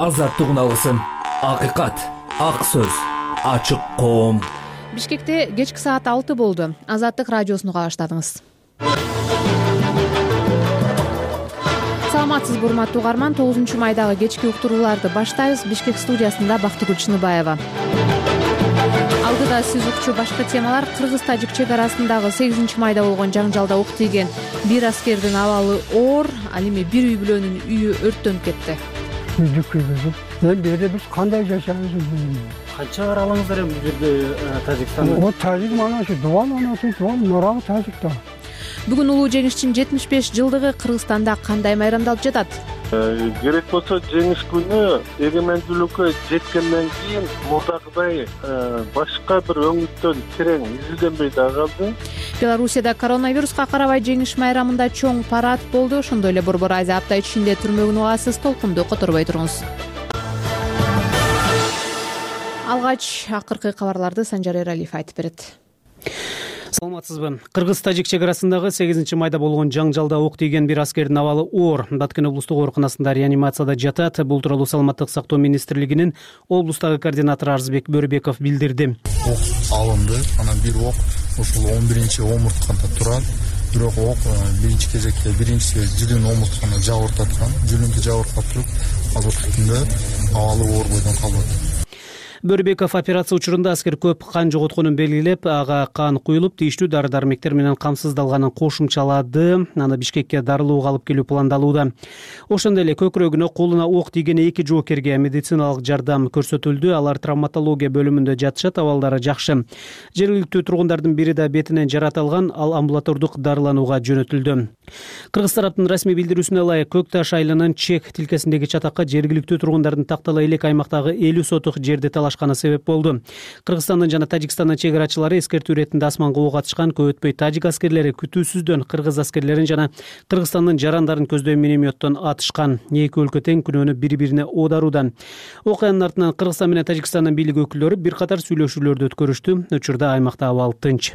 азаттык уналысын, акыйкат, ак сөз, ачык коом. Бишкекте кечки саат 6 болду. Азаттык радиосуну уга баштадыңыз. Саламатсызбы урматтуу угарман, 9-майдагы кечки уктурууларды баштайбыз. Бишкек студиясында Бактыгүл Чыныбаева. Алдыда сиз укчу башка темалар: Кыргыз-Тажик чек арасындагы 8-майда болгон жаңжалда ук тийген бир аскердин абалы оор. Ал эми бир үй бүлөнүн үйү өрттөнүп кетти. Берде биз кандай жашайбыз? Канча каралыңыздар эми бул жерде Тажикстанда? О, Тажик мана ушу Дуван анасы, Дуван нурабы Тажикта. Бүгүн улуу жеңиштин 75 жылдыгы Кыргызстанда кандай майрамдалып жатат? Керек болсо жеңиш күнү эгемендүүлүккө жеткенден кийин мурдагыдай башка бир өңүттөн терең изилденбей да калды. Белоруссияда коронавируска карабай жеңиш майрамында чоң парад болду. Ошондой эле Борбор Азия апта ичинде түрмөгүн угасыз, толкунду которбой туруңуз. Алгач акыркы кабарларды Санжар Эралиев айтып берет. Саламатсызбы. Кыргыз-Тажик чек арасындагы 8-майда болгон жаңжалда ок тийген бир аскердин абалы оор. Баткен облустук ооруканасында реанимацияда жатат. Бул тууралуу Саламаттык сактоо министрлигинин облустагы координатору Арзбек Бөрбеков билдирди. Ок алынды, анан бир ок ушул 11-омурткада турат. Бирок ок биринчи кезекте жүлүн омуртканы жабыртаткан. Жүлүндү жабыртып туруп, азыркы күндө абалы оор бойдон калат. Бөрбеков операция учурунда аскер көп кан жоготконун белгилеп, ага кан куюлуп, тийиштүү дары-дармектер менен камсыздалганын кошумчалады. Аны Бишкекке дарылууга алып келүү пландалууда. Ошондой эле көкүрөгүнө, колуна ок тийген 2 жоокерге медициналык жардам көрсөтүлдү. Алар травматология бөлүмүндө жатышат, абалдары жакшы. Жергиликтүү тургундардын бири да бетинен жарат алган, ал амбулатордук дарыланууга жөнөтүлдү. Кыргыз тараптын расмий билдирүүсүнө ылайык, Көк Таш айылынын чек тилкесиндеги чатакка жергиликтүү тургундардын тактала элек аймактагы 50 сотук жерди талашканы себеп болду. Кыргызстандын жана Тажикстандын чек арачылары эскертүү иретинде асманга ок атышкан. Көп өтпөй тажик аскерлери күтүүсүздөн кыргыз аскерлерин жана Кыргызстандын жарандарын көздөй минометтон атышкан. Эки өлкө тең күнөөнү бири-бирине оодарууда. Окуянын артынан Кыргызстан менен Тажикстандын бийлик өкүлдөрү бир катар сүйлөшүүлөрдү өткөрүштү. Учурда аймакта абал тынч.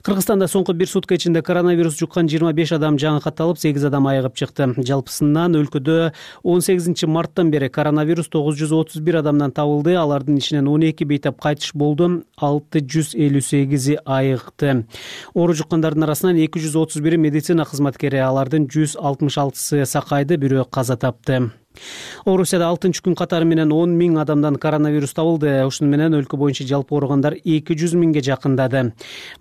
Кыргызстанда соңку бир сутка ичинде коронавирус жуккан 25 адам жаңы катталып, 8 адам айыгып чыкты. Жалпысынан өлкөдө 18-марттан бери коронавирус 931 адамдан табылды. Алардын ичинен 12 бейтап кайтыш болду, 658 айыкты. Оору жуккандардын арасынан 231 медицина кызматкери, алардын 166 сакайды, бирөө каза тапты. Орусияда 6-күн катары менен 10 000 адамдан коронавирус табылды. Ошону менен өлкө боюнча жалпы ооругандар 200 000ге жакындады.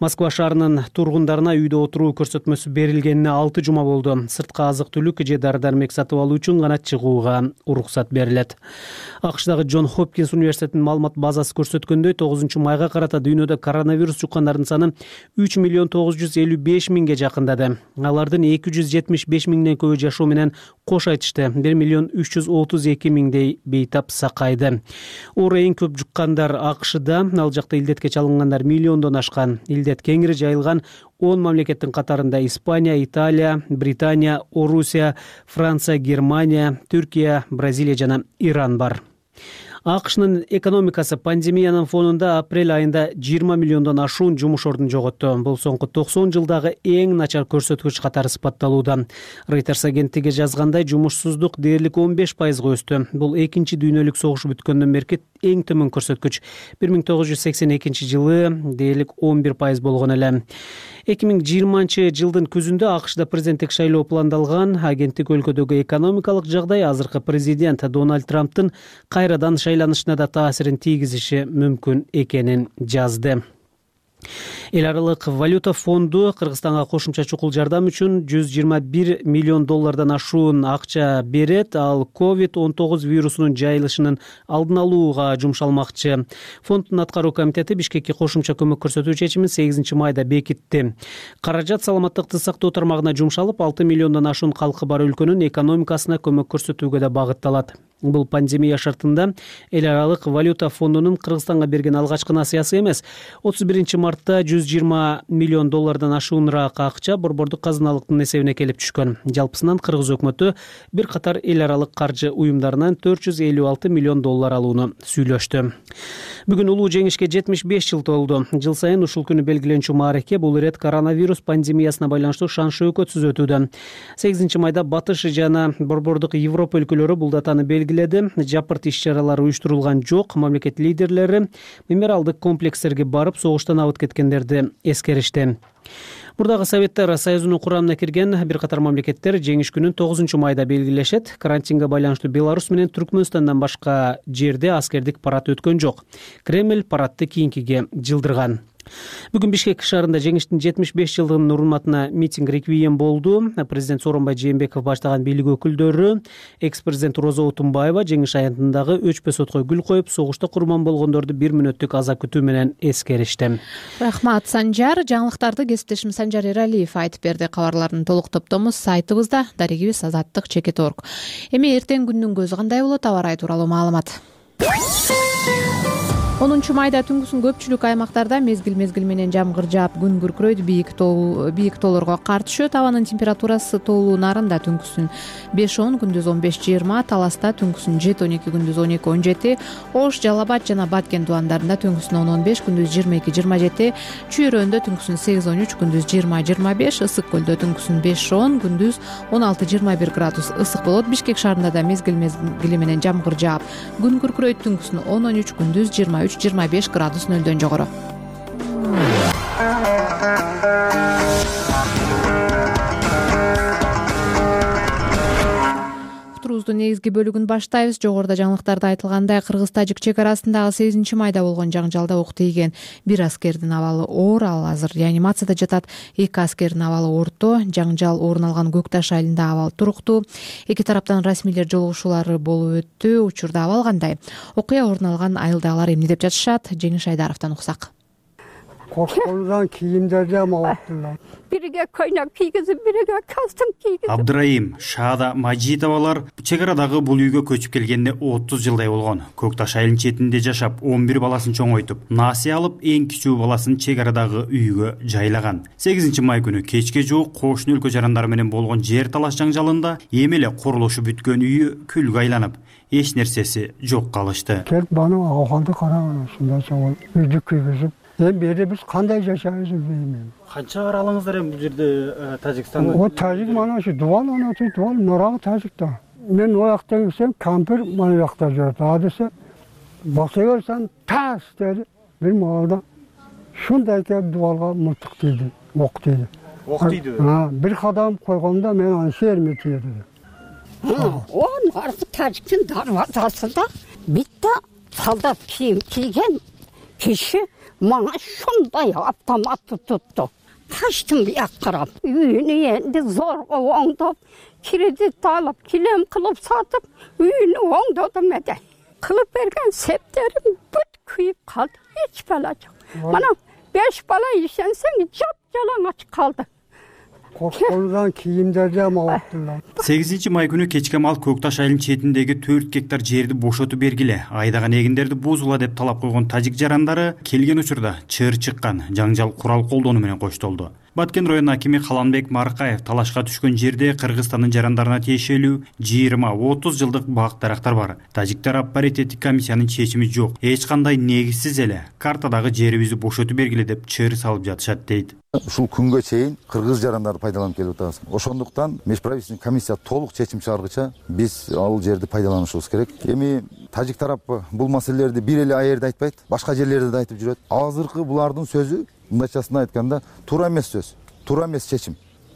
Москва шаарынын тургундарына үйдө отуруу көрсөтмөсү берилгенине 6 жума болду. Сырткы азык-түлүк же дары-дармек сатып алуу үчүн гана чыгууга уруксат берилет. АКШдагы Джон Хопкинс университетинин маалымат базасы көрсөткөндөй, 9-майга карата дүйнөдө коронавирус жуккандардын саны 3 955 000ге жакындады. Алардын 275 000ден көбү жашоо менен кош айтышты. 1 332 000дей бейтап сакайды. Оору эң көп жуккандар АКШда, ал жакта илдетке чалынгандар миллиондон ашкан. Илдет кеңири жайылган 10 мамлекеттин катарында Испания, Италия, Британия, Орусия, Франция, Германия, Түркия, Бразилия жана Иран бар. АКШнын экономикасы пандемиянын фонунда апрель айында 20 миллиондон ашуун жумуш ордун жоготту. Бул соңку 90 жылдагы эң начар көрсөткүч катары сыпатталууда. Reuters агенттиги жазгандай, жумушсуздук дээрлик 15%га өстү. Бул экинчи дүйнөлүк согуш бүткөндөн берки эң төмөн көрсөткүч. 1982 жылы дээрлик 11% болгон эле. 2020 жылдын күзүндө АКШда президенттик шайлоо пландалган. Агенттик өлкөдөгү экономикалык жагдай азыркы президент Дональд Трамптын кайрадан шайланышына да таасирин тийгизиши мүмкүн экенин жазды. Эл аралык валюта фонду Кыргызстанга кошумча чукул жардам үчүн 121 миллион доллардан ашуун акча берет. Ал COVID-19 вирусунун жайылышынын алдын алууга жумшалмакчы. Фонддун аткаруу комитети Бишкекке кошумча көмөк көрсөтүү чечимин 8-майда бекитти. Каражат саламаттыкты сактоо тармагына жумшалып, 6 миллиондон ашуун калкы бар өлкөнүн экономикасына көмөк көрсөтүүгө да багытталат. Бул пандемия шартында эл аралык валюта фондунун Кыргызстанга берген алгачкы насыясы эмес. 31-мартта 120 миллион доллардан ашуунраак акча борбордук казыналыктын эсебине келип түшкөн. Жалпысынан Кыргыз өкмөтү бир катар эл аралык каржы уюмдарынан 456 миллион доллар алууну сүйлөштү. Бүгүн улуу жеңишке 75 жыл толду. Жыл сайын ушул күнү белгиленчү маареке бул ирет коронавирус пандемиясына байланыштуу шан-шөөкөтсүз өтүүдө. 8-майда Батыш жана борбордук Европа өлкөлөрү бул датаны белгилеп белгиледи. Жапырт иш-чаралар уюштурулган жок. Мамлекет лидерлери мемориалдык комплекстерге барып, согуштан абыт кеткендерди эскеришти. Мурдагы Советтер Союзунун курамына кирген бир катар мамлекеттер жеңиш күнүн 9 майда белгилешет. Карантинге байланыштуу Беларусь менен Түркмөнстандан башка жерде аскердик парад өткөн жок. Кремль парадты кийинкиге жылдырган. Бүгүн Бишкек шаарында жеңиштин 75 жылдыгынын урматына митинг реквием болду. Президент Сооронбай Жээнбеков баштаган бийлик өкүлдөрү, экс-президент Роза Отунбаева жеңиш аянтындагы өчпөс отко гүл коюп, согушта курман болгондорду 1 мүнөттүк аза күтүү менен эскеришти. Рахмат, Санжар. Жаңылыктарды кесиптешим Санжар Эралиев айтып берди. Кабарлардын толук топтому сайтыбызда, дарегибиз azаттык.org. Эми эртең күндүн көзү кандай болот? Аба ырайы тууралуу маалымат. 10 майда түнкүсүн көпчүлүк аймактарда мезгил менен жамгыр жаап, күн күркүрөйт, бийик тоолорго кар түшөт. Абанын температурасы тоолуу нарында түнкүсүн 5-10, күндүз 15-20, Таласта түнкүсүн 7-12, күндүз 12-17, Ош, Жалал Абад жана Баткен дубандарында түнкүсүн 10-15, күндүз 22-27, Чүйрөндө түнкүсүн 8-13, күндүз 20-25, Ысык көлдө түнкүсүн 5-10, күндүз 16-21 градус ысык болот. Бишкек шаарында да мезгил менен жамгыр жаап, күн күркүрөйт, түнкүсүн 10-13, күндүз 23-25 градус нөлдөн жогору. Уктуруубуздун негизги бөлүгүн баштайбыз. Жогоруда жаңылыктарда айтылгандай, Кыргыз-Тажик чек арасындагы 8 майда болгон жаңжалда ок тийген бир аскердин абалы оор, ал азыр реанимацияда жатат. 2 аскердин абалы орто. Жаңжал орун алган Көк Таш айылында абал туруктуу. Эки тараптан расмийлер жолугушуулары болуп өттү. Учурда абал кандай? Окуя орун алган айылдагылар эмне деп жатышат? Жеңиш Айдаровдон уксак. Кошколудан кийимдерди амалаттылар. Бириге көйнөк кийгизип, бириге костюм кийгизип. Абдырайым, Шаада, Мажитовалар чек арадагы бул үйгө көчүп келгенде 30 жылдай болгон. Көк Таш айылынын четинде жашап, 11 баласын чоңойтуп, насыя алып, эң кичүү баласын чек арадагы үйгө жайлаган. 8 май күнү кечке жуук кошуна өлкө жарандары менен болгон жер талаш жаңжалында эми эле курулушу бүткөн үйү күлгө айланып, эч нерсеси жок калышты. Келип бана акалды караган, ушундай чоң үйдү кийгизип, бери биз кандай жашайбыз билбейм. Канча каралыңыздар эми бул жерде Тажикстанда? О Тажик мана ушу дубал анасы дубал нарагы Тажикта. Мен о жакта келсем, кампир мына жакта жүрөт. Адысы баса берсем тас деди. Бир маалда шундай келип дубалга мылтык тийди, ок тийди. Ок тийди. Бир кадам койгондо мен аны шерме тийди. О, наркы Тажиктин дарвазасында битте солдат кийим кийген киши мана шундай автоматты тутту. Таштын бияк карап, үйүнү энди зорго оңдоп, кредит алып, килем кылып сатып, үйүнү оңдодум эде. Кылып берген септерим бүт күйүп калды. Эч бала жок. Мана 5 бала ишенсең, жап-жалаңач калды. Кошколудан кийимдерди амалаттылар. 8 май күнү кечке мал Көк Таш айылынын четиндеги 4 гектар жерди бошотуп бергиле, айдаган эгиндерди бузула деп талап койгон тажик жарандары келген учурда чыр чыккан жаңжал курал колдонуу менен коштолду. Баткен район акими Каланбек Маркаев талашка түшкөн жерде Кыргызстандын жарандарына тиешелүү 20-30 жылдык бак дарактар бар. Тажик тарап паритеттик комиссиянын чечими жок. Эч кандай негизсиз эле картадагы жерибизди бошотуп бергиле деп чыр салып жатышат дейт. Ушул күнгө чейин кыргыз жарандары пайдаланып келип атабыз. Ошондуктан межправительственный комиссия толук чечим чыгаргыча биз ал жерди пайдаланышыбыз керек. Эми тажик тарап бул маселелерди бир эле айерде айтпайт, башка жерлерде да айтып жүрөт. Азыркы булардын сөзү мындайчасын айтканда туура эмес сөз, туура эмес чечим.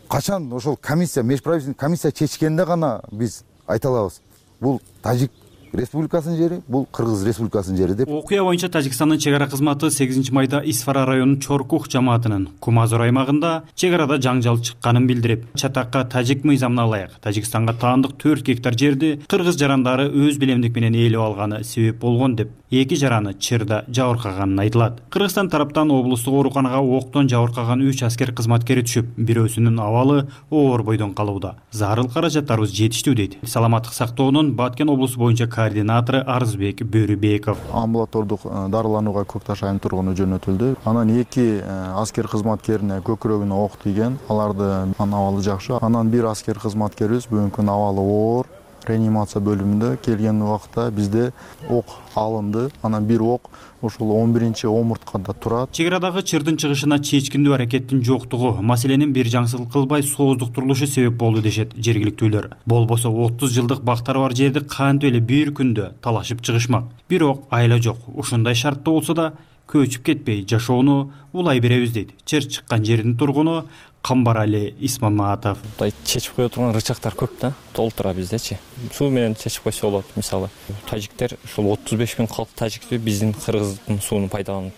Качан ошол комиссия, межправительственный комиссия чечкенде гана биз айта алабыз. Бул Тажик Республикасынын жери, бул Кыргыз Республикасынын жери деп. Окуя боюнча Тажикстандын чек ара кызматы 8 майда Исфара районунун Чоркух жамаатынын Кумазор аймагында чек арада жаңжал чыкканын билдирип, чатакка тажик мыйзамына ылайык Тажикстанга таандык 4 гектар жерди кыргыз жарандары өз билемдик менен ээлеп алганы себеп болгон деп, эки жараны чырда жабыркаганын айтылат. Кыргызстан тараптан облустук ооруканага октон жабыркаган 3 аскер кызматкери түшүп, бирөөсүнүн абалы оор бойдон калууда. Зарыл каражаттарыбыз жетиштүү дейт Саламаттык сактоонун Баткен облусу боюнча координатору Арызбек Бөрүбеков. Амбулатордук дарыланууга Көк Таш айылынын тургуну жөнөтүлдү. Анан 2 аскер кызматкерине көкүрөгүнө ок тийген. Алардын абалы жакшы. Анан 1 аскер кызматкерибиз бүгүнкү күнү абалы оор. реанимация бөлүмүндө келген убакта бизде ок алынды. Анан бир ок ушул 11-омурткада турат. Чек арадагы чырдын чыгышына чечкиндүү аракеттин жоктугу маселенин бир жаңсыздык кылбай сооздуктурулушу себеп болду дешет жергиликтүүлөр. Болбосо 30 жылдык бактары бар жерди кантип эле бир күндө талашып чыгышмак. Бирок айла жок. Ушундай шартта болсо да көчүп кетпей жашоону улай беребиз дейт чыр чыккан жердин тургуну Камбарали Исмаматов. Чечип кое турган рычактар көп да, толтура биздечи. Суу менен чечип койсо болот. Мисалы, тажиктер ушул 35 миң калк тажикти биздин кыргыздын сууну пайдаланып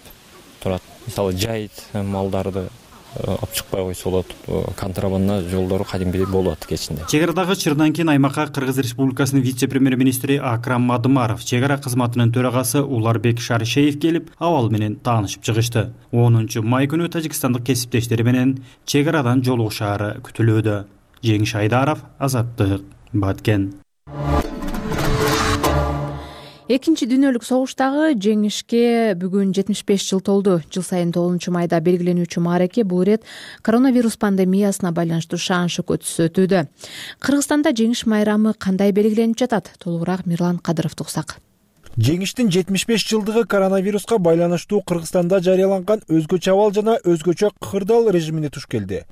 турат. Мисалы, жайыт малдарды алып чыкпай койсо болот. Контрабанда жолдору кадимгидей болот кечинде. Чек арадагы чырдан кийин аймакка Кыргыз Республикасынын вице-премьер-министри Акрам Мадымаров, чек ара кызматынын төрагасы Уларбек Шаришеев келип, абал менен таанышып чыгышты. 10-май күнү тажикстандык кесиптештери менен чек арадан жолугушаары күтүлүүдө. Жеңиш Айдаров, Азаттык, Баткен. Экинчи дүйнөлүк согуштагы жеңишке бүгүн 75 жыл толду. Жыл сайын 9-майда белгиленүүчү маареке бул ирет коронавирус пандемиясына байланыштуу шаан шөкөтсүз өтүүдө. Кыргызстанда жеңиш майрамы кандай белгиленип жатат? Толугураак Мирлан Кадыровду уктсак. Жеңиштин 75 жылдыгы коронавируска байланыштуу Кыргызстанда жарыяланган өзгөчө абал жана өзгөчө кырдаал режимине туш келди.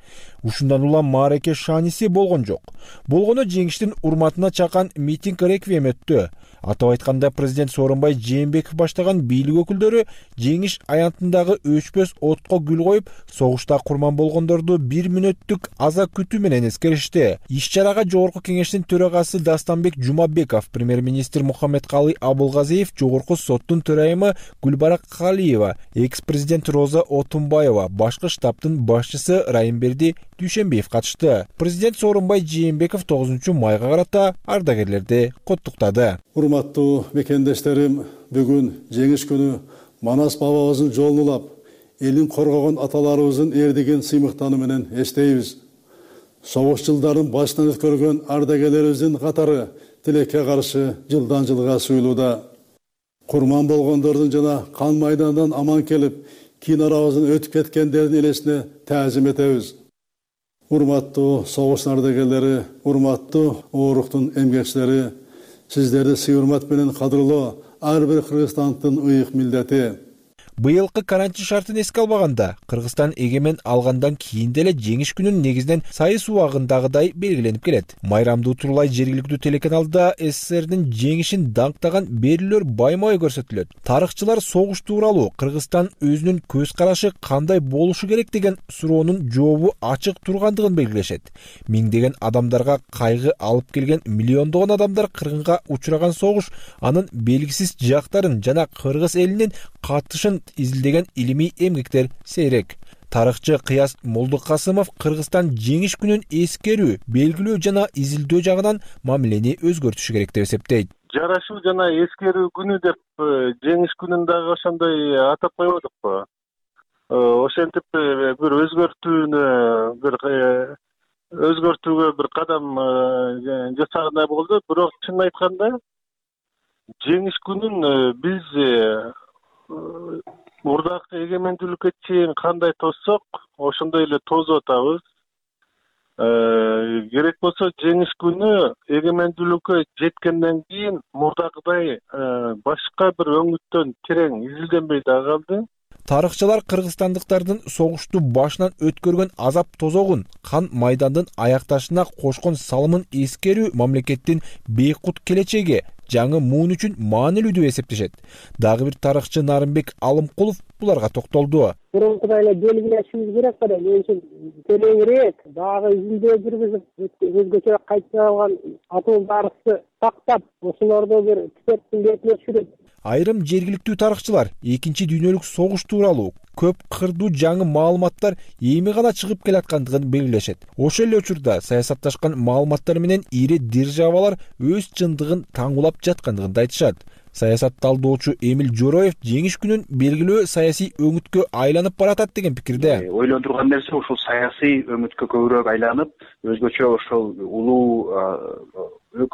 Ушундан улам маареке шааниси болгон жок. Болгону жеңиштин урматына чакан митинг реквием өттү. Атап айтканда, президент Сооронбай Жээнбеков баштаган бийлик өкүлдөрү жеңиш аянтындагы өчпөс отко гүл коюп, согушта курман болгондорду 1 мүнөттүк аза күтүү менен эскеришти. Иш-чарага Жогорку кеңештин төрагасы Дастанбек Жумабеков, премьер-министр Мухаммедкалый Абылгазиев, Жогорку соттун төрайымы Гүлбара Калиева, экс-президент Роза Отунбаева, башкы штабтын башчысы Райымберди Дүйшөнбиев катышты. Президент Сооронбай Жээнбеков 9-майга карата ардагерлерди куттуктады. Урматтуу мекендештерим, бүгүн жеңиш күнү Манас бабабыздын жолун улап, элин коргогон аталарыбыздын эрдигин сыймыктануу менен эстейбиз. Согуш жылдарын башынан өткөргөн ардагерлерибиздин катары тилекке каршы жылдан жылга суюлууда. Курман болгондордун жана кан майдандан аман келип, кийин арабыздан өтүп кеткендердин элесине таазим этебиз. Урматтуу согуш ардагерлери, урматтуу ооруктун эмгекчилери, сиздерди сый урмат менен кадырлоо ар бир кыргызстандын ыйык милдети. Быйылкы карантин шартын эске албаганда, Кыргызстан эгемен алгандан кийин деле жеңиш күнүн негизинен сайыс убагындагыдай белгиленип келет. Майрамды утурлай жергиликтүү телеканалда СССРдин жеңишин даңктаган берүүлөр байма-бай көрсөтүлөт. Тарыхчылар согуш тууралуу Кыргызстан өзүнүн көз карашы кандай болушу керек деген суроонун жообу ачык тургандыгын белгилешет. Миңдеген адамдарга кайгы алып келген, миллиондогон адамдар кыргынга учураган согуш анын белгисиз жактарын жана кыргыз элинин катышын изилдеген илимий эмгектер сейрек. Тарыхчы Кыяз Молдукасымов Кыргызстан жеңиш күнүн эскерүү, белгилөө жана изилдөө жагынан мамилени өзгөртүшү керек деп эсептейт. Жарашуу жана эскерүү күнү деп жеңиш күнүн дагы ошондой атап койбодукпу? Ошентип бир өзгөртүүгө бир кадам жасагандай болду. Бирок чынын айтканда жеңиш күнүн биз мурдакы эгемендүүлүккө чейин кандай тоссок, ошондой эле тосуп атабыз. Керек болсо жеңиш күнү эгемендүүлүккө жеткенден кийин мурдакыдай башка бир өңүттөн терең изилденбей дагы калды. Тарыхчылар кыргызстандыктардын согушту башынан өткөргөн азап тозогун, кан майдандын аякташына кошкон салымын эскерүү мамлекеттин бейкут келечеги, жаңы муун үчүн маанилүү деп эсептешет. Дагы бир тарыхчы Нарымбек Алымкулов буларга токтолду. Мурункудай эле белгилешибиз керек да, мен үчүн тереңирээк дагы изилдөө жүргүзүп, өзгөчө кайталанган атом тарыхты сактап, ошолорду бир китептин бетине түшүрүп. Айрым жергиликтүү тарыхчылар экинчи дүйнөлүк согуш тууралуу көп кырдуу жаңы маалыматтар эми гана чыгып келаткандыгын белгилешет. Ошол эле учурда саясатташкан маалыматтар менен ири державалар өз чындыгын таңулап жаткандыгын да айтышат. Саясат талдоочу Эмил Жороев жеңиш күнүн белгилөө саясий өңүткө айланып баратат деген пикирде. Ойлондурган нерсе ушул саясий өңүткө көбүрөөк айланып, өзгөчө ошол улуу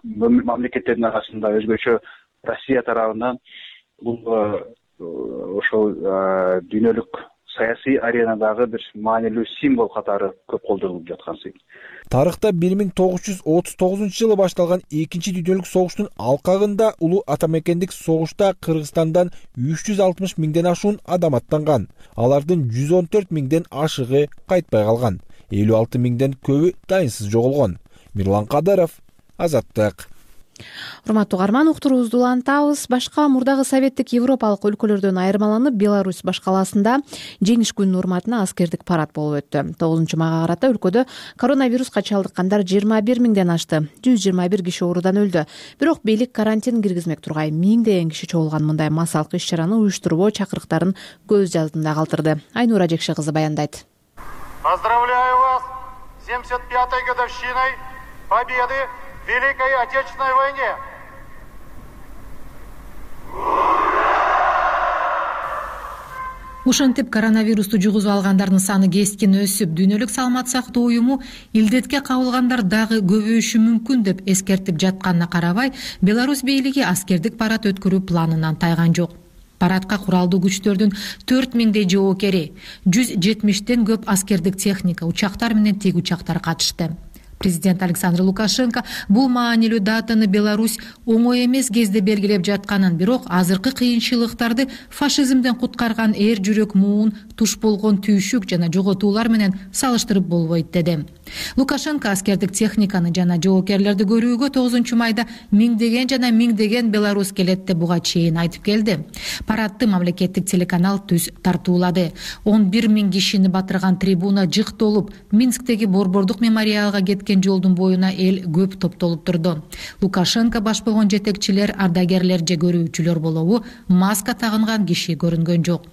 мамлекеттердин арасында өзгөчө Россия тарабынан бул ошол дүйнөлүк саясий аренадагы бир маанилүү символ катары көп колдонулуп жаткан сый. Тарыхта 1939-жылы башталган экинчи дүйнөлүк согуштун алкагында улуу атамекендик согушта Кыргызстандан 360 миңден ашуун адам аттанган. Алардын 114 миңден ашыгы кайтпай калган. 56 миңден көбү дайынсыз жоголгон. Мирлан Кадыров, Азаттык. Урматтуу угарман, уктуруубузду улантабыз. Башка мурдагы советтик европалык өлкөлөрдөн айырмаланып, Беларусь баш калаасында жеңиш күнүнүн урматына аскердик парад болуп өттү. 9-майга карата өлкөдө коронавируска чалдыккандар 21 миңден ашты. 121 киши оорудан өлдү. Бирок бийлик карантин киргизмек тургай миңдеген киши чогулган мындай массалык иш-чараны уюштурбоо чакырыктарын көз алдында калтырды. Айнура Жекше кызы баяндайт. Поздравляю вас с 75-й годовщиной победы в Великой Отечественной войне. Ошентип коронавирусту жугузуп алгандардын саны кескин өсүп, дүйнөлүк саламат сактоо уюму илдетке кабылгандар дагы көбөйүшү мүмкүн деп эскертип жатканына карабай, Беларусь бийлиги аскердик парад өткөрүү планынан тайган жок. Парадка куралдуу күчтөрдүн 4000дей жоокери, 170тен көп аскердик техника, учактар менен тик учактар катышты. Президент Александр Лукашенко бул маанилүү датаны Беларусь оңой эмес кезде белгилеп жатканын, бирок азыркы кыйынчылыктарды фашизмден куткарган эр жүрөк муун, туш болгон түйшүк жана жоготуулар менен салыштырып болбойт деди. Лукашенко аскердик техниканы жана жоокерлерди көрүүгө 9-майда миңдеген жана миңдеген белорус келет деп буга чейин айтып келди. Парадты мамлекеттик телеканал түз тартуулады. 11 миң кишини батырган трибуна жык толуп, Минсктеги Борбордук мемориалга кеткен жолдун боюна эл көп топтолуп турду. Лукашенко баш болгон жетекчилер, ардагерлер же көрүүчүлөр болобу маска тагынган киши көрүнгөн жок.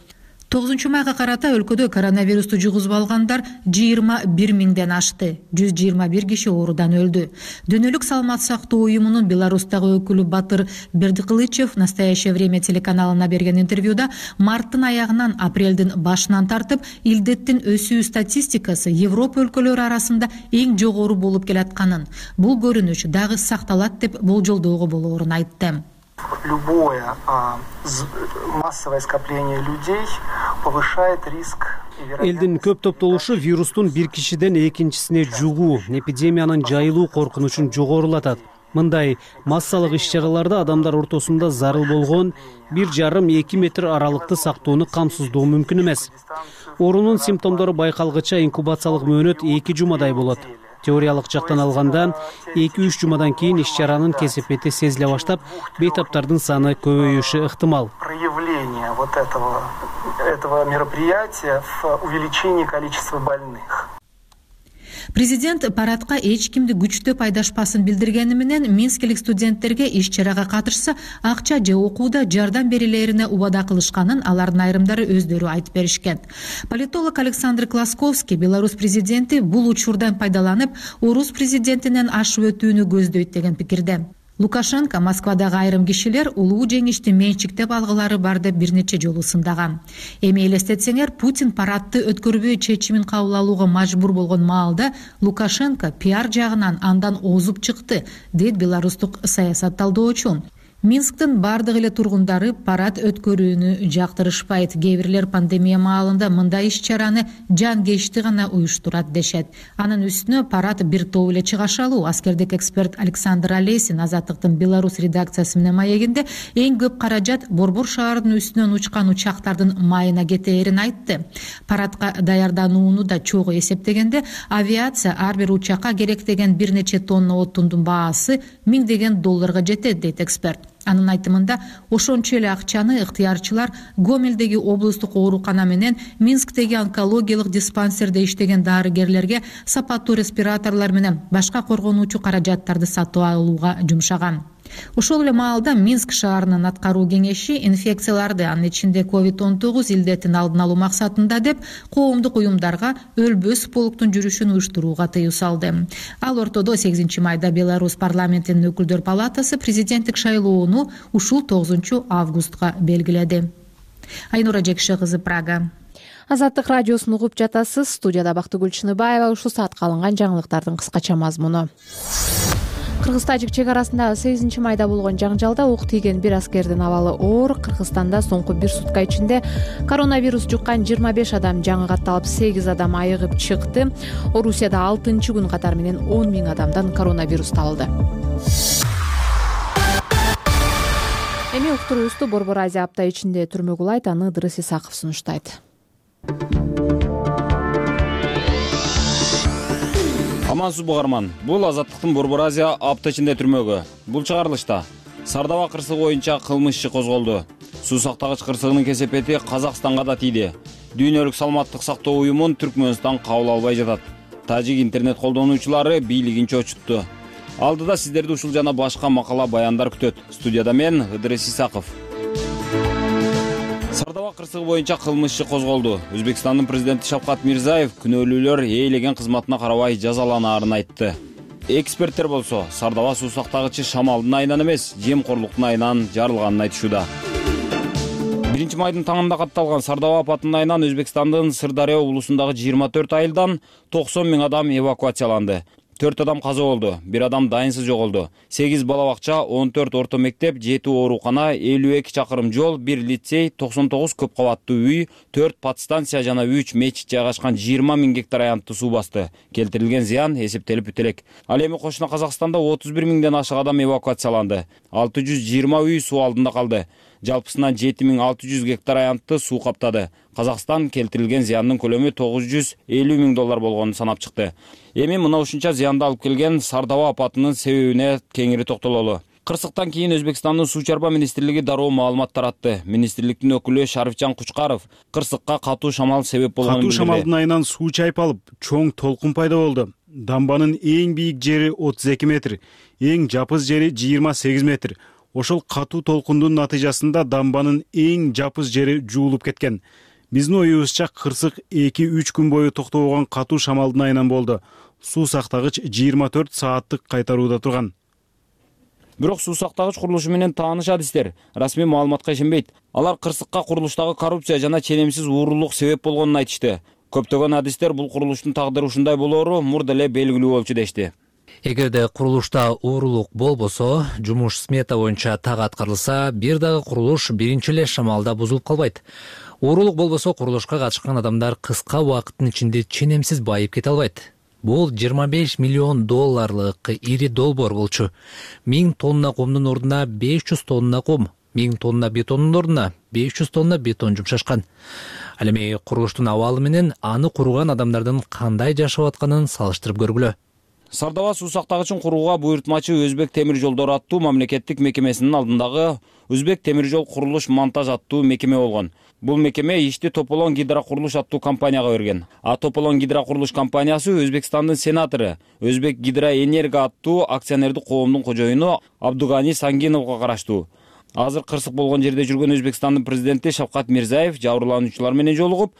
9-майга карата өлкөдө коронавирусту жугузуп алгандар 21 миңден ашты. 121 киши оорудан өлдү. Дүйнөлүк саламат сактоо уюмунун Беларустагы өкүлү Батыр Бердикылычев «Настоящее время» телеканалына берген интервьюда марттын аягынан апрелдин башынан тартып илдеттин өсүү статистикасы Европа өлкөлөрү арасында эң жогору болуп келатканын, бул көрүнүш дагы сакталат деп болжолдоого болоорун айтты. Любое массовое скопление людей повышает риск. Элдин көп топтолушу вирустун бир кишиден экинчисине жугуу, эпидемиянын жайылуу коркунучун жогорулатат. Мындай массалык иш-чараларда адамдар ортосунда зарыл болгон 1,5-2 метр аралыкты сактоону камсыздоо мүмкүн эмес. Оорунун симптомдору байкалгыча инкубациялык мөөнөт 2 жумадай болот. Теориялык жактан алганда 2-3 жумадан кийин иш-чаранын кесепети сезиле баштап, бейтаптардын саны көбөйүшү ыктымал. Проявление вот этого мероприятия в увеличении количества больных. Президент парадка эч кимди күчтөп айдашпасын билдиргени менен минскилик студенттерге иш-чарага катышса акча же окууда жардам берилерине убада кылышканын алардын айрымдары өздөрү айтып беришкен. Политолог Александр Класковский Беларусь президенти бул учурдан пайдаланып, орус президентинен ашып өтүүнү көздөйт деген пикирде. Лукашенко Москвадагы айрым кишилер улуу жеңишти менчиктеп алгылары бар деп бир нече жолу сындаган. Эми элестетсеңер, Путин парадты өткөрбөй чечимин кабыл алууга мажбур болгон маалда Лукашенко пиар жагынан андан озуп чыкты, дейт беларустук саясат талдоочу. Минсктин бардык эле тургундары парад өткөрүүнү жактырышпайт. Кээ бирлер пандемия маалында мындай иш-чараны жанкечти гана уюштурат дешет. Анын үстүнө парад бир топ эле чыгашалуу. Аскердик эксперт Александр Олесин Азаттыктын Беларусь редакциясы менен маегинде эң көп каражат Борбор шаарынын үстүнөн учкан учактардын майына кетээрин айтты. Парадка даярданууну да чогуу эсептегенде, авиация ар бир учакка керектеген бир нече тонна отундун баасы $1000 жетет, дейт эксперт. Анын айтымында, ошончо эле акчаны ыктыярчылар Гомелдеги облустук оорукана менен Минсктеги онкологиялык диспансерде иштеген дарыгерлерге сапаттуу респираторлор менен башка коргонуучу каражаттарды сатып алууга жумшаган. Ошол эле маалда Минск шаарынын аткаруу кеңеши инфекцияларды, анын ичинде COVID-19 илдетин алдын алуу максатында деп коомдук уюмдарга өлбөс полктун жүрүшүн уюштурууга тыюу салды. Ал ортодо 8-майда Беларусь парламентинин өкүлдөр палатасы президенттик шайлоону ушул 9-августка белгиледи. Айнура Жекше кызы, Прага. Азаттык радиосун угуп жатасыз. Студияда Бактыгүл Чыныбаева. Ушул саатка алынган жаңылыктардын кыскача мазмуну. Кыргыз-тажик чек арасындагы 8-майда болгон жаңжалда ук тийген бир аскердин абалы оор. Кыргызстанда соңку бир сутка ичинде коронавирус жуккан 25 адам жаңы катталып, 8 адам айыгып чыкты. Орусияда 6-күн катары менен 10 000 адамдан коронавирус табылды. Эми уктуруубузду Борбор Азия апта ичинде түрмөгү улайт, аны Ыдырыс Исаков сунуштайт. Амансызбы угарман. Бул Азаттыктын Борбор Азия апта ичинде түрмөгү. Бул чыгарылышта Сардаба кырсыгы боюнча кылмыш иши козголду. Суу сактагыч кырсыгынын кесепети Казакстанга да тийди. Дүйнөлүк саламаттык сактоо уюмун Түркмөнстан кабыл албай жатат. Тажик интернет колдонуучулары бийлигин чочутту. Алдыда сиздерди ушул жана башка макала баяндар күтөт. Студияда мен Ыдырыс Исаков. Сардаба кырсыгы боюнча кылмыш иши козголду. Өзбекстандын президенти Шавкат Мирзиев күнөөлүүлөр ээлеген кызматына карабай жазаланаарын айтты. Эксперттер болсо Сардаба суу сактагычы шамалдын айынан эмес, жемкорлуктун айынан жарылганын айтышууда. 1-майдын таңында катталган Сардаба апатынын айынан Өзбекстандын Сырдария облусундагы 24 айылдан 90 000 адам эвакуацияланды. 4 адам каза болду, 1 адам дайынсыз жоголду. 8 бала бакча, 14 орто мектеп, 7 оорукана, 52 чакырым жол, 1 лицей, 99 көп кабаттуу үй, 4 подстанция жана 3 мечит жайгашкан 20 000 гектар аянтты суу басты. Келтирилген зыян эсептелип бүтө элек. Ал эми кошуна Казакстанда 31 000ден ашык адам эвакуацияланды. 620 үй суу алдында калды. Жалпысынан 7600 гектар аянтты суу каптады. Казакстан келтирилген зыяндын көлөмү $950 000 болгонун санап чыкты. Эми мына ушунча зыянды алып келген Сардаба апатынын себебине кеңири токтололу. Кырсыктан кийин Өзбекстандын суу чарба министрлиги дароо маалымат таратты. Министрликтин өкүлү Шарифжан Кучкаров кырсыкка катуу шамал себеп болгонун билдирди. Катуу шамалдын айынан суу чайпалып, чоң толкун пайда болду. Дамбанын эң бийик жери 32 метр, эң жапыз жери 28 метр. Ошол катуу толкундун натыйжасында дамбанын эң жапыз жери жуулуп кеткен. Биздин оюбузча кырсык 2-3 күн бою токтобогон катуу шамалдын айынан болду. Суу сактагыч 24 сааттык кайтарууда турган. Бирок суу сактагыч курулушу менен тааныш адистер расмий маалыматка ишенбейт. Алар кырсыкка курулуштагы коррупция жана ченемсиз уурулук себеп болгонун айтышты. Көптөгөн адистер бул курулуштун тагдыры ушундай болоору мурда эле белгилүү болчу дешти. Эгерде курулушта уурулук болбосо, жумуш смета боюнча так аткарылса, бир дагы курулуш биринчи эле шамалда бузулуп калбайт. Уурулук болбосо, курулушка катышкан адамдар кыска убакыттын ичинде ченемсиз байып кете албайт. Бул $25 миллион ири долбоор болчу. 1000 тонна комдун ордуна 500 тонна ком, 1000 тонна бетондун ордуна 500 тонна бетон жумшашкан. Ал эми курулуштун абалы менен аны курган адамдардын кандай жашап атканын салыштырып көргүлө. Сардаба суу сактагычын курууга буйртмачы Өзбек темир жолдору аттуу мамлекеттик мекемесинин алдындагы Өзбек темир жол курулуш монтаж аттуу мекеме болгон. Бул мекеме ишти Тополон гидрокурулуш аттуу компанияга берген. А Тополон гидрокурулуш компаниясы Өзбекстандын сенатору Өзбек гидроэнерго аттуу акционердик коомдун кожоюну Абдугани Сангиновго караштуу. Азыр кырсык болгон жерде жүргөн Өзбекстандын президенти Шавкат Мирзиев жабырлануучулар менен жолугуп,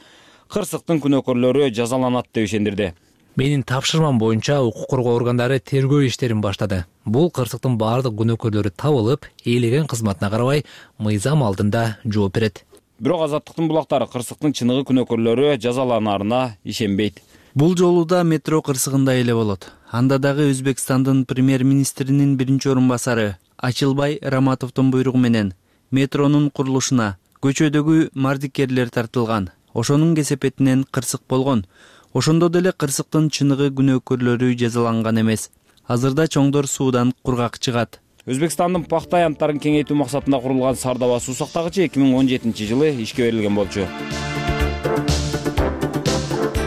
кырсыктын күнөөкөрлөрү жазаланат деп ишендирди. Менин тапшырмам боюнча укук коргоо органдары тергөө иштерин баштады. Бул кырсыктын баардык күнөөкөрлөрү табылып, ээлеген кызматына карабай мыйзам алдында жооп берет. Бирок Азаттыктын булактары кырсыктын чыныгы күнөөкөрлөрү жазаланаарына ишенбейт. Бул жолу да метро кырсыгында эле болот. Анда дагы Өзбекстандын премьер-министринин биринчи орун басары Ачылбай Раматовдун буйругу менен метронун курулушуна көчөдөгү мардикерлер тартылган. Ошонун кесепетинен кырсык болгон. Ошондо деле кырсыктын чыныгы күнөөкөрлөрү жазаланган эмес. Азырда чоңдор суудан кургак чыгат. Өзбекстандын пахта аянттарын кеңейтүү максатында курулган Сардаба суу сактагычы 2017 жылы ишке берилген болчу.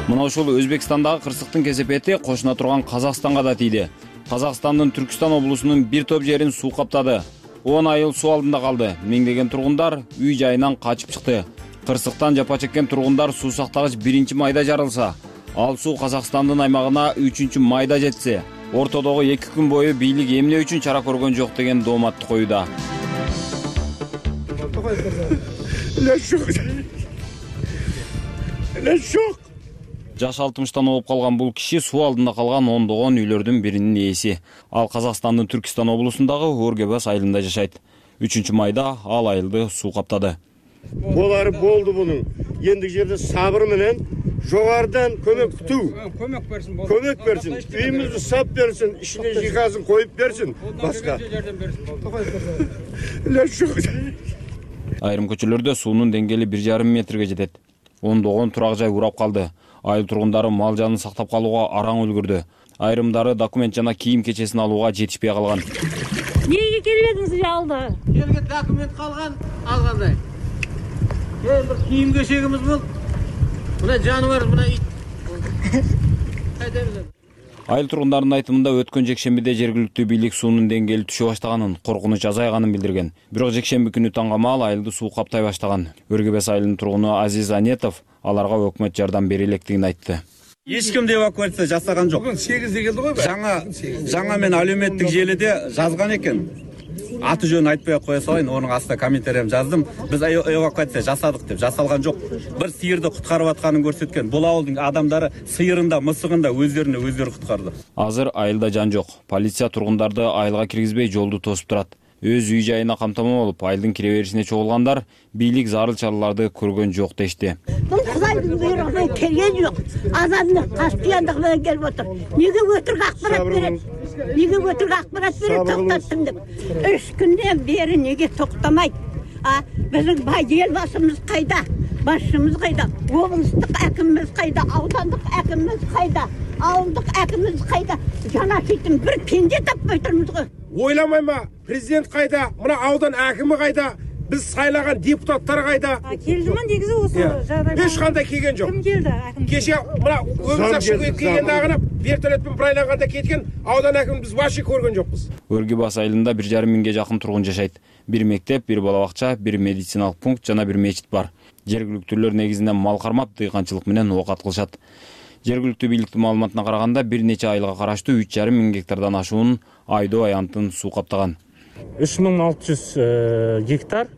Мына ушул Өзбекстандагы кырсыктын кесепети кошуна турган Казакстанга да тийди. Казакстандын Түркстан облусунун бир топ жерин суу каптады. 10 айыл суу алдында калды. Миңдеген тургундар үй жайынан качып чыкты. Кырсыктан жапа чеккен тургундар суу сактагыч 1-майда жарылса, ал суу Казакстандын аймагына 3-майда жетсе, ортодогу 2 күн бою бийлик эмне үчүн чара көргөн жок деген дооматты коюуда. Жаш 60-тан болуп калган бул киши суу алдында калган ондогон үйлөрдүн биринин ээси. Ал Казакстандын Түркстан облусундагы Оргебас айылында жашайт. 3-майда ал айылды суу каптады. Болары болду мунун. ендиги жерде сабыр менен жогорудан көмөк күтүү. Көмөк берсин. Үйүмүздү сап берсин, ишине жыхазын коюп берсин. Башка. Айрым көчөлөрдө суунун деңгээли 1,5 метрге жетет. Ондогон турак жай урап калды. Айыл тургундары мал жанын сактап калууга араң үлгүрдү. Айрымдары документ жана кийим кечесин алууга жетишпей калган. Эмнеге келбедиңиз жалды? Жерге документ калган, алгандай. Bir kiyim keşegimiz bul. Buna canıvar, buna it. Айыл тургундарынын айтымында өткөн жекшембиде жергиликтүү бийлик суунун деңгээли түшө баштаганын, коркунуч азайганын билдирген. Бирок жекшемби күнү таңгамаал айылды суу каптай баштаган. Өргөбес айылынын тургуну Азиз Анетов аларга өкмөт жардам бере электигин айтты. Эч ким эвакуация жасаган жок. Бүгүн 8-де келди го. Жаңа мен алюметтик желиде жазган экен. Аты жөнүн айтпай кое салайын, онун астына комментарийм жаздым. Биз эвакуация жасадык деп, жасалган жок. Бир сыйырды куткарып атканын көрсөткөн. Бул ауылдун адамдары сыйырында, мысыгында өздөрүнө өздөрү куткарды. Азыр айылда жан жок. Полиция тургундарды айылга киргизбей жолду тосуп турат. Өз үй жайына камтамоо болуп, айылдын кире беришине чогулгандар бийлик зарыл чараларды көргөн жок дешти. Бул Кудайдын буйругунан келген жок. Адамдын каспыяндыгы менен келип отур. Неге өтүргө акпарат берет? Неге өтүргө акпарат берет? Токтоттум деп. 3 күндөн бери неге токтомайт? Биздин бай эл башыбыз кайда? Башыбыз кайда? Облустук акимimiz кайда? Аудандык акимimiz кайда? Ауылдык акимimiz кайда? Жанашыйтын бир пенде таппай турмуз го. Ойламайма, президент кайда? Мына аудан акими кайда? Биз сайлаган депутаттар кайда? Келдима негизи осы жагдай. Эч кандай келген жок. Ким келди? Аким. Кеше мына өмүр ашып келгенде агына вертолетпен брайланганда кеткен аудан акимин биз вообще көргөн жокпуз. Өргөбас айылында 1,5 миңге жакын тургун жашайт. Бир мектеп, бир бала бакча, бир медициналык пункт жана бир мечит бар. Жергиликтүүлөр негизинен мал кармап, дыйканчылык менен оокат кылышат. Жергиликтүү бийликтин маалыматына караганда бир нече айылга караштуу 3,5 миң гектардан ашуун Айдоо аянтын суу каптаган. 3600 гектар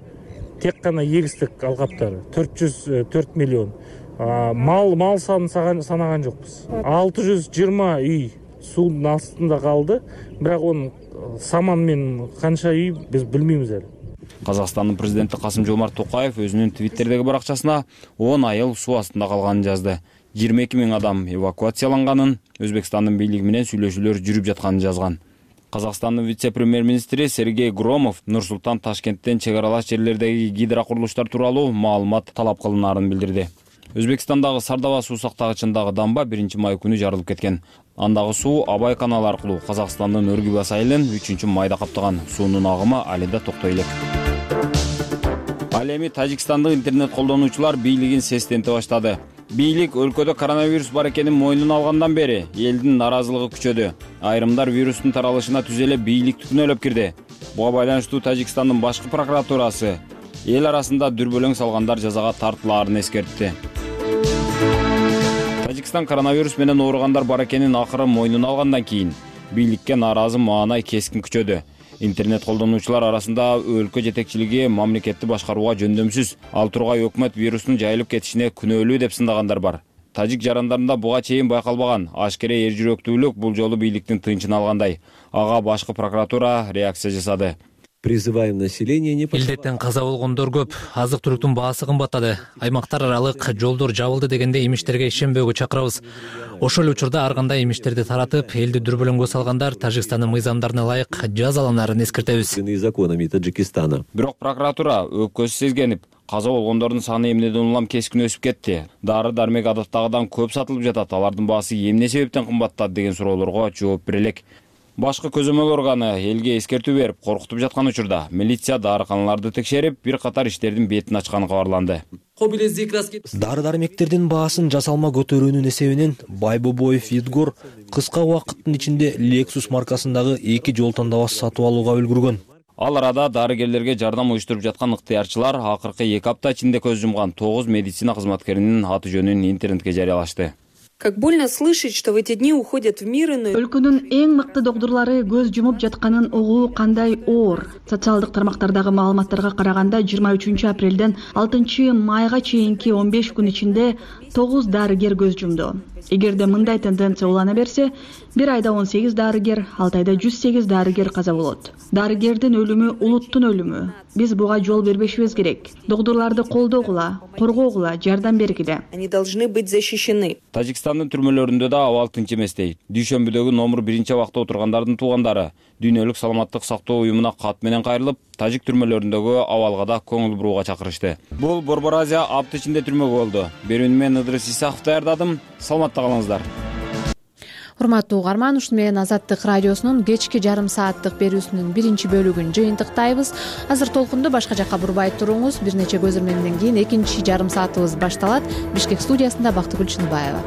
тек қана егістік алқаптары, 404 миллион. Мал санын санаған жоқпыз. 620 үй судың астында қалды, бірақ оның саманмен қанша үй біз білмейміз әлі. Казакстандын президенти Касым-Жомарт Токаев өзүнүн Твиттердеги баракчасына 10 айыл суу астында калганын жазды. 22 миң адам эвакуацияланганын, Өзбекстандын бийлиги менен сүйлөшүүлөр жүрүп жатканын жазган. Казакстандын вице-премьер-министри Сергей Громов Нур-Султан Ташкенттен чек аралаш жерлердеги гидрокурулуштар тууралуу маалымат талап кылынаарын билдирди. Өзбекстандагы Сардаба суу сактагычындагы дамба 1-май күнү жарылып кеткен. Андагы суу Абай каналы аркылуу Казакстандын Өргөбас айылын 3-майда каптаган. Суунун агымы алында токтой элек. Ал эми Тажикстандык интернет колдонуучулар бийлигин сестенте баштады. Бийлик өлкөдө коронавирус бар экенин мойнуна алгандан бери элдин наразылыгы күчөдү. Айрымдар вирустун таралышына түз эле бийликти күнөөлөп кирди. Буга байланыштуу Тажикстандын башкы прокуратурасы эл арасында дүрбөлөң салгандар жазага тартылаарын эскертти. Тажикстан коронавирус менен ооругандар бар экенин акыры мойнуна алгандан кийин бийликке нааразы маанай кескин күчөдү. Интернет колдонуучулар арасында өлкө жетекчилиги мамлекетти башкарууга жөндөмсүз, ал тургай өкмөт вирустун жайылып кетишине күнөөлүү деп сындагандар бар. Тажик жарандарында буга чейин байкалбаган ашкере эржирөөктүүлүк бул жолу бийликтин тынчын алгандай. Ага башкы прокуратура реакция жасады. Призываем население не Илдеттен каза болгондор көп, азык-түлүктүн баасы кымбаттады. Аймактар аралык жолдор жабылды дегенде эмиштерге ишенбөөгө чакырабыз. Ошол эле учурда ар кандай эмиштерди таратып, элди дүрбөлөңгө салгандар Тажикстандын мыйзамдарына ылайык жазаланаарын эскертебиз. Законами Таджикистана. Бирок прокуратура өпкөсү сезгенип, каза болгондордун саны эмнеден улам кескин өсүп кетти. Дары-дармек адаттагыдан көп сатылып жатат. Алардын баасы эмне себептен кымбаттады деген суроолорго жооп бере элек. Башкы көзөмөл органы элге эскертүү берип, коркутуп жаткан учурда милиция дарыканаларды текшерип, бир катар иштердин бетин ачканы кабарланды. Дары-дармектердин баасын жасалма көтөрүүнүн эсебинен Байбобоев Видгор кыска убакыттын ичинде Lexus маркасындагы 2 жол тандабас сатып алууга үлгүргөн. Ал арада дарыгерлерге жардам уюштуруп жаткан ыктыярчылар акыркы 2 апта ичинде көз жумган 9 медицина кызматкеринин аты жөнүн интернетке жарыялашты. Как больно слышать, что в эти дни уходят в мир иной. Өлкөнүн эң мыкты доктурлары көз жумуп жатканын угуу кандай оор. Социалдык тармактардагы маалыматтарга караганда 23 апрелден 6 майга чейинки 15 күн ичинде 9 дарыгер көз жумду. Эгерде мындай тенденция улана берсе, бир айда 18 дарыгер, 6 айда 108 дарыгер каза болот. Дарыгердин өлүмү улуттун өлүмү. Биз буга жол бербешибиз керек. Доктурларды колдогула, коргогула, жардам бергиле. Они должны быть защищены. Тажикстандын түрмөлөрүндө да абал тынч эмес дейт. Дүйшөмбүдөгү номер 1 абакта отургандардын туугандары Дүйнөлүк саламаттык сактоо уюмуна кат менен кайрылып, тажик түрмөлөрүндөгү абалга да көңүл бурууга чакырышты. Бул Борбор Азия апта ичинде түрмөгө болду. Берүүнү мен Ыдырыс Исаков даярдадым. Саламатта калыңыздар. Урматтуу угарман, ушуну менен Азаттык радиосунун кечки жарым сааттык берүүсүнүн биринчи бөлүгүн жыйынтыктайбыз. Азыр толкунду башка жакка бурбай туруңуз. Бир нече көзөрмөндөн кийин экинчи жарым саатыбыз башталат. Бишкек студиясында Бактыгүл Чыныбаева.